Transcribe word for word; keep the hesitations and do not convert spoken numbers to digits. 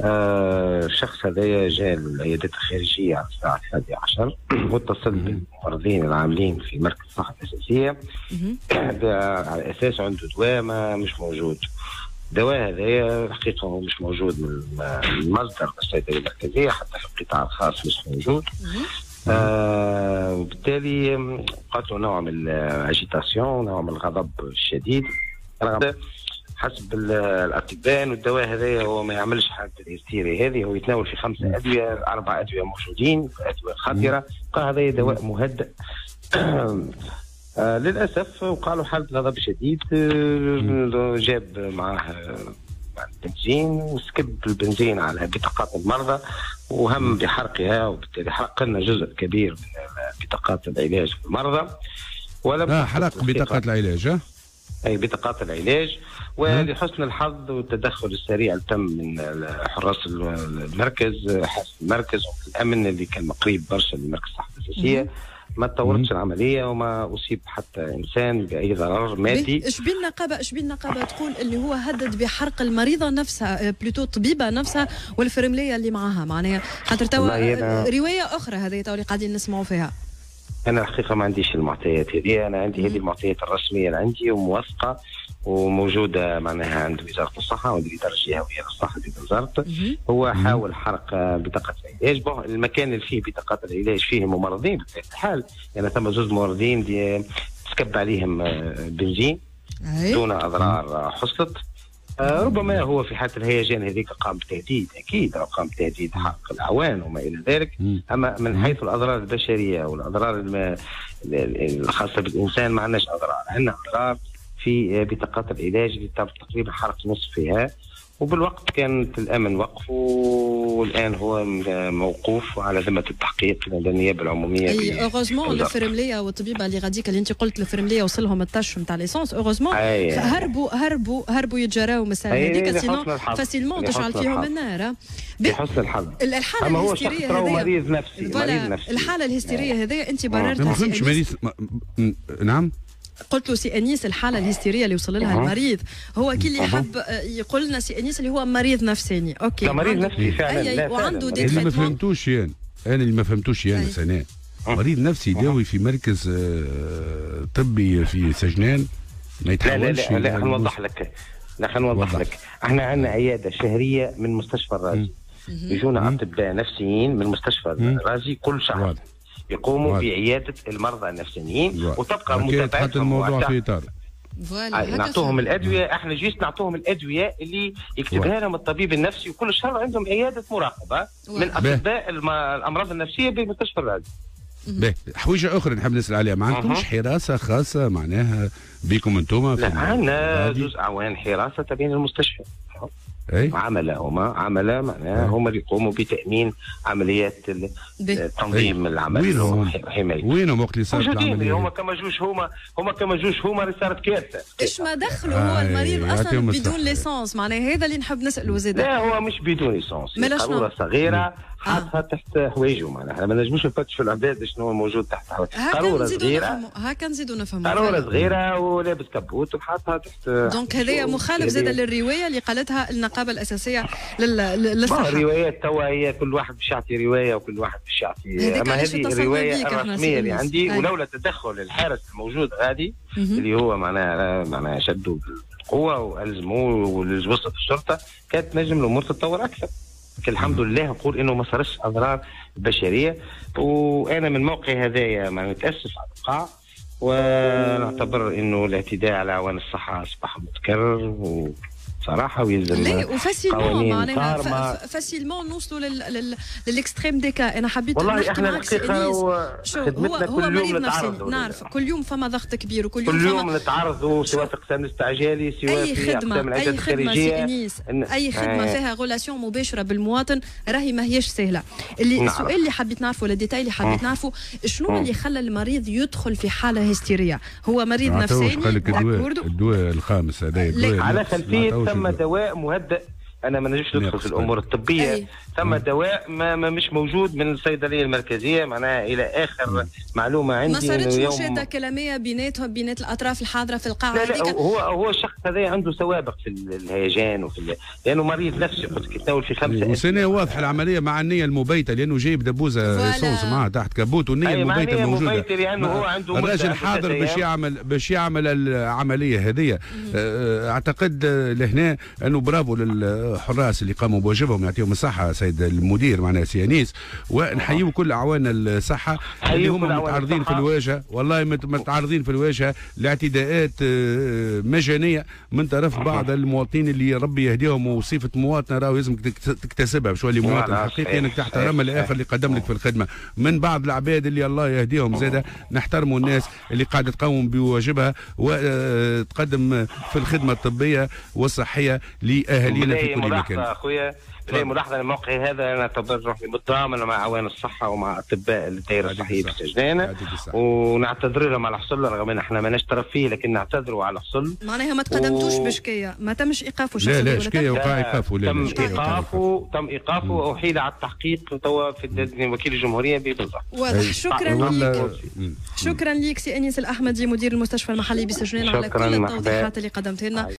آه الشخص هذايا جاء للعيادات الخارجية على الساعة الحادية عشر واتصل بالممرضين العاملين في مركز الصحة الاساسية على اساس عنده دواء ما مش موجود. الدواء هذايا الحقيقة هو مش موجود من المصدر الصيدلية المركزيه، حتى في القطاع الخاص مش موجود. آه وبالتالي وقعت له نوع من ال agitation، نوع من الغضب الشديد. رغم حسب الاطباء انه الدواء هذايا هو ما يعملش حاله الهستيريا هذه، هو يتناول في خمسة ادوية، اربع ادوية موجودين، ادوية خطيرة، قال هذا دواء مهدئ. آه للاسف وقع له حاله غضب شديد، آه جاب معاه البنزين وسكب البنزين على بطاقات المرضى وهم بحرقها، وبالتالي حرق لنا جزء كبير من بطاقات العلاج المرضى. ولم آه حرق بطاقات العلاج. اي بطاقات العلاج. ولحسن الحظ والتدخل السريع اللي تم من حراس المركز، حارس المركز والامن اللي كان قريب برشا لمركز الصحة الاساسية، ما تطورتش العملية وما اصيب حتى انسان باي ضرر مادي. اش بين النقابة اش بين النقابة تقول اللي هو هدد بحرق المريضة نفسها، plutôt الطبيبة نفسها والفرمليه اللي معاها، معناها خاطر توا رواية اخرى هذه توا اللي قاعدين نسمعوا فيها. انا الحقيقة ما عنديش المعطيات هذه، انا عندي هذه المعطيات الرسمية اللي عندي وموثقه وموجودة معناها عند وزارة الصحة وعند الادارة الجهوية للصحة في بنزرت. هو حاول حرق بطاقة العلاج. bon المكان اللي فيه بطاقات العلاج فيه ممرضين بطبيعة الحال، يعني ثم زوج ممرضين تسكب عليهم بنزين دون اضرار حصلت. ربما هو في حاله الهيجان هذيك قام بتهديد، اكيد قام بتهديد حرق الاعوان وما الى ذلك. اما من حيث الاضرار البشرية والاضرار الخاصة بالانسان ما عندناش اضرار، عندنا اضرار في بطاقات العلاج اللي تم تقريبا حرق نصفها، وبالوقت كانت الامن وقفه والان هو موقوف على ذمه التحقيق لدى النيابة العمومية. اي heureusement الفرمليه والطبيبه اللي غاديك اللي انت قلت الفرمليه وصلهم ال tache نتاع l'essence، heureusement هربوا هربوا هربوا يتجراو من الساعة هذيك، sinon facilement تشعل فيهم النار. لحسن الحظ الحالة الهستيريه هذه مريض نفسي، مريض نفسي. الحالة الهستيريه هذه انت بررتها. ما فهمتش مريض. نعم قلت له سي انيس الحالة الهستيريه اللي وصل لها المريض هو كي اللي حب يقول لنا سي انيس اللي هو مريض نفساني. OK لا مريض نفسي فعلا. لا وعنده des اللي ما فهمتوش يعني انا اللي ما فهمتوش يعني سناء، مريض نفسي يداوي في مركز طبي في سجنان ما يتحولش. لا لا لا نوضح لك، لا خلينا نوضح لك. احنا عندنا عيادة شهرية من مستشفى الرازي، يجونا اطباء نفسيين من مستشفى الرازي كل شهر يقوموا واضح. بعياده المرضى النفسيين وتبقى متابعتهم. الموضوع في اطار نعطوهم الادوية، احنا juste نعطوهم الادوية اللي يكتبها لهم الطبيب النفسي، وكل شهر عندهم عيادة مراقبة من اطباء الامراض النفسية بمستشفى الرازي. باهي، حويجه اخرى نحب نسال عليها، ما عندكمش حراسة خاصة معناها بكم انتم؟ لا عندنا زوج اعوان حراسة تابعين المستشفى. أي؟ عملاء هما عملاء معناها هما اللي يقوموا بتامين عمليات تنظيم العمل وحماية. وينهم وقت اللي صارت العملية؟ هما كما جوش هما هما كما جوش هما اللي صارت كارثة. ايش ما دخلوا هو المريض اصلا بدون l'essence، معناها هذا اللي نحب نساله زاد. لا هو مش بدون l'essence، قارورة صغيرة حاطها تحت حوايجه، معناها احنا ما نجموش نفتشوا العباد شنو موجود تحت حوايجه. قارورة صغيرة هكا نزيدوا نفهموا، قارورة صغيرة ولابس كبوت وحاطها تحت. donc هذايا مخالف زاد للرواية اللي قالتها النقابة الاساسية للصحة. الروايات توا هي كل واحد باش يعطي رواية وكل واحد باش يعطي، اما هذه الرواية الرسمية اللي عندي، ولولا تدخل الحارس الموجود غادي اللي هو معناها معناها شدوا بالقوة والزموه ووصلت الشرطة، كانت نجم الامور تتطور اكثر. الحمد لله نقول انه ما صارش اضرار بشرية، وانا من موقعي هذايا ما نتاسف على الوقع، ونعتبر انه الاعتداء على اعوان الصحة اصبح متكرر وصراحة ويلزم لا و facilement معناها facilement نوصلوا لل extrême des cas. انا حبيت نحكي معاك سي انيس، شو هو هو مريض نفسي نعرف كل يوم فما ضغط كبير وكل يوم كل يوم نتعرضوا سواء في اقسام الاستعجالي سواء في اقسام العيادات الخارجية. اي خدمة اي خدمة فيها relation مباشرة بالمواطن راهي ما هيش سهلة. اللي السؤال اللي حبيت نعرفه ولا ال détail اللي حبيت نعرفه شنو اللي خلى المريض يدخل في حاله هستيريه؟ هو مريض نفساني الدواء الدواء الخامس هذا على خلفية ثم دواء مهدئ انا ما نجمش ندخل في الامور الطبية. أي. ثم دواء ما, ما مش موجود من الصيدلية المركزية، معناها الى اخر مم. معلومة عندي. ما صارتش مشاده كلامية بيناتهم بينات الاطراف الحاضرة في القاعة؟ لا لا، هو هو الشخص هذا عنده سوابق في الهيجان وفي ال... لانه مريض نفسي، قلت لك يتناول في خمسة. وسنة واضحة العملية مع النية المبيته، لانه جايب دبوزه essence معاه تحت كبوت، والنية المبيته موجودة، لانه هو عنده الراجل حاضر باش يعمل باش يعمل العملية هذه. اعتقد لهنا انه برافو للحراس اللي قاموا بواجبهم، يعطيهم الصحة سيد المدير معنا سي انيس، ونحيوا كل اعوان الصحة اللي هم متعرضين في الواجهة، والله متعرضين في الواجهة لاعتداءات مجانية من طرف بعض المواطنين اللي ربي يهديهم. وصفه مواطنه راهو لازم تكتسبها باش تولي مواطن حقيقي، انك تحترم الاخر اللي قدم لك في الخدمة. من بعض العباد اللي الله يهديهم زاده نحترموا الناس اللي قاعدة تقوم بواجبها وتقدم في الخدمة الطبية والصحية لاهالينا في كل مكان. اخويا لي ملاحظة الموقع هذا، انا اعتبر روحي متضامن مع اعوان الصحة ومع اطباء الدائرة الصحية بالسجنانه، ونعتذر لهم على حصل، رغم ان احنا ماناش طرف فيه، لكن نعتذروا على حصل. معناها ما تقدمتوش و... بشكايه، ما تمش ايقافه؟ لا لا، شكاية وقع ايقافه. لا، تم ايقافه، تم ايقافه واحيل على التحقيق توا في وكيل الجمهورية ببنزرت. واضح. شكرا لك، شكرا لك سي انيس الاحمدي مدير المستشفى المحلي بسجنان على كل التوضيحات اللي قدمتها لنا.